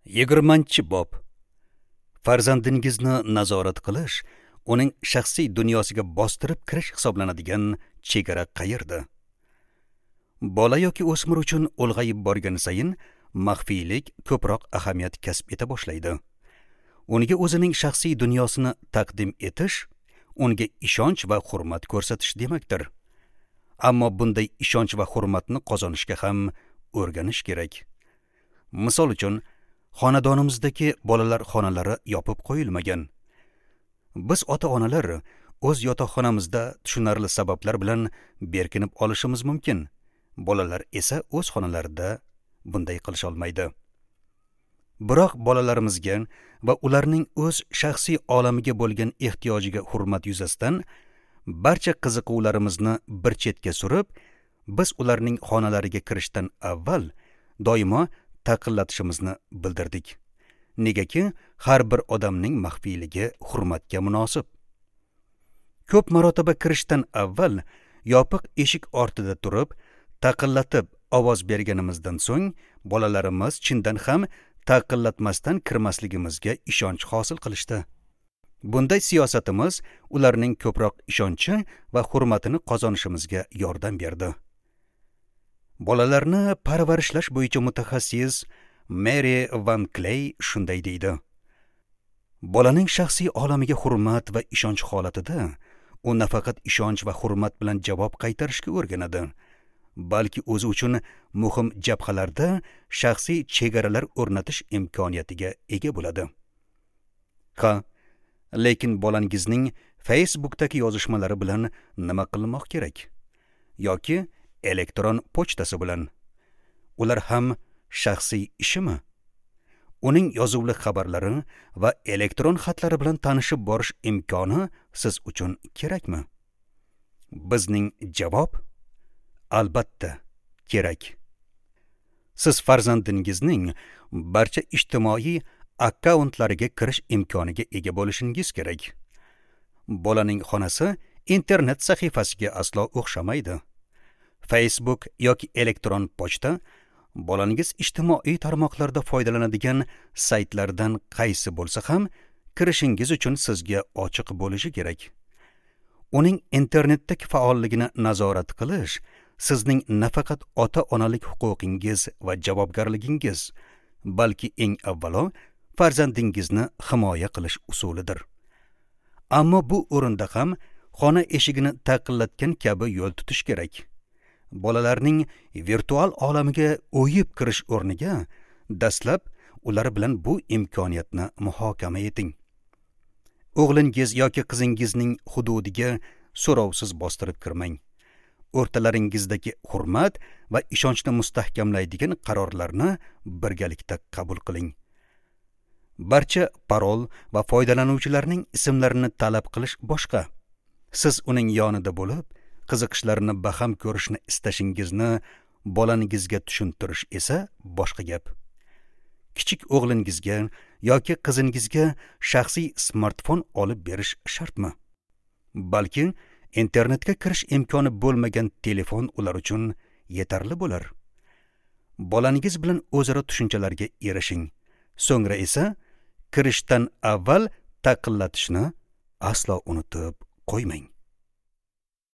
20-bob. Farzandingizni nazorat qilish, uning shaxsiy dunyosiga bostirib kirish hisoblanadigan chegara qayerda? Bola yoki o'smir uchun ulg'ayib borgan sayin maxfiylik ko'proq ahamiyat kasb eta boshlaydi. Unga o'zining shaxsiy dunyosini taqdim etish, unga ishonch va hurmat ko'rsatish demakdir. Ammo bunday ishonch va hurmatni qozonishga ham o'rganish kerak. Misol uchun, xonadonimizdagi bolalar xonalari yopib qo'yilmagan. Biz ota-onalar o'z yotoqxonamizda tushunarli sabablar bilan berkinib olishimiz mumkin. Bolalar esa o'z xonalarida bunday qilisha olmaydi. Biroq bolalarimizga va ularning o'z shaxsiy olamiga bo'lgan ehtiyojiga hurmat yuzasidan barcha qiziquvlarimizni bir chetga surib, biz ularning xonalariga kirishdan avval doimo taqillatishimizni bildirdik. Negaki har bir odamning maxfiyligi hurmatga munosib. Ko'p marotaba kirishdan avval yopiq eshik ortida turib, taqillatib ovoz berganimizdan so'ng bolalarimiz chindan ham taqillatmasdan kirmasligimizga ishonch hosil qilishdi. Bunday siyosatimiz ularning ko'proq ishonchi va hurmatini qozonishimizga yordam berdi. Bolalarni parvarishlash bo'yicha mutaxassis Mary Van Clay shunday deydi: Bolaning shaxsiy olamiga hurmat va ishonch holatida u nafaqat ishonch va hurmat bilan javob qaytarishga o'rganadi, balki o'zi uchun muhim jabhalarda shaxsiy chegaralar o'rnatish imkoniyatiga ega bo'ladi. Ha, lekin bolangizning Facebook'dagi yozishmalari bilan nima qilmoq kerak? Yoki elektron pochtasi bilan? Ular ham shaxsiy ishimi? Uning yozuvli xabarlari va elektron xatlari bilan tanishib borish imkoni siz uchun kerakmi? Bizning javob: albatta kerak. Siz farzandingizning barcha ijtimoiy akkauntlariga kirish imkoniga ega bo'lishingiz kerak. Bolaning xonasi internet sahifasiga aslo o'xshamaydi. Facebook yoki elektron pochta bolangiz ijtimoiy tarmoqlarda foydalanadigan saytlardan qaysi bo'lsa ham kirishingiz uchun sizga ochiq bo'lishi kerak. Uning internetdagi faolligini nazorat qilish sizning nafaqat ota-onalik huquqingiz va javobgarligingiz, balki eng avvalo farzandingizni himoya qilish usulidir. Ammo bu o'rinda ham xona eshigini taqillatgan kabi yo'l tutish kerak. Bolalarning virtual olamiga o'yib kirish o'rniga dastlab ular bilan bu imkoniyatni muhokama eting. O'g'lingiz yoki qizingizning hududiga so'rovsiz bostirib kirmang. O'rtalaringizdagi hurmat va ishonchni mustahkamlaydigan qarorlarni birgalikda qabul qiling. Barcha parol va foydalanuvchilarning ismlarini talab qilish boshqa. Siz uning yonida bo'lib, qiziqishlarini baham ko'rishni istashingizni bolangizga tushuntirish esa boshqa gap. Kichik o'g'lingizga yoki qizingizga shaxsiy smartfon olib berish shartmi? Balki internetga kirish imkoni bo'lmagan telefon ular uchun yetarli bo'lar. Bolangiz bilan o'zaro tushunchalarga erishing. So'ngra esa kirishdan avval taqillatishni aslo unutib qo'ymang.